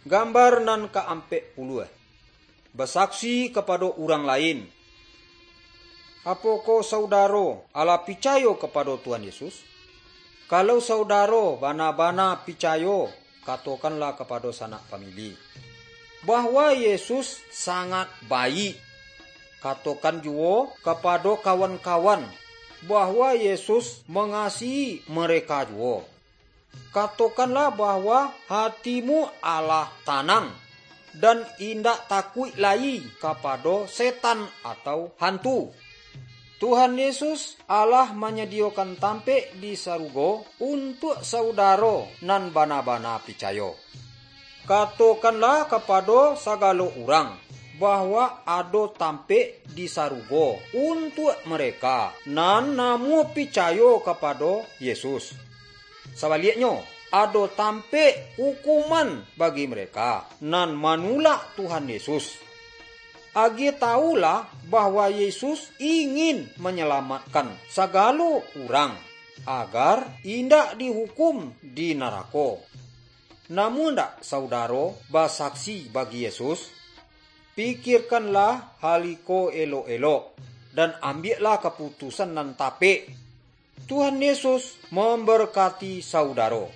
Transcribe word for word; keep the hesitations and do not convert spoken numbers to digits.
Gambar nan ka-ampek puluah. Basaksi kapado urang lain. Apokoh saudaro alah picayo kapado Tuhan Yesus? Kalau saudaro bana-bana picayo, katokanlah kapado sanak famili, bahwa Yesus sangat baik. Katokan juwo kapado kawan-kawan, bahwa Yesus mangasihi mereka juwo. Katokanlah bahwa hatimu alah tanang, dan indak takuik lai kapado setan atau hantu. Tuhan Yesus alah manyadiyokan tampek di sarugo untuak saudaro nan bana-bana picayo. Katokanlah kapado sagalo urang, bahwa ado tampek di sarugo untuak mereka nan namuah picayo kapado Yesus. Sabaliaknyo, ado tampek ukuman bagi mereka nan manulak Tuhan Yesus. Agiah tawulah bahwa Yesus ingin manyalamatkan sagalo urang, agar indak dihukum di narako. Namuah ndak saudaro basaksi bagi Yesus? Pikirkanlah hal iko elok-elok, dan ambiaklah kaputusan nan tapek. Tuhan Yesus mambarkati saudaro.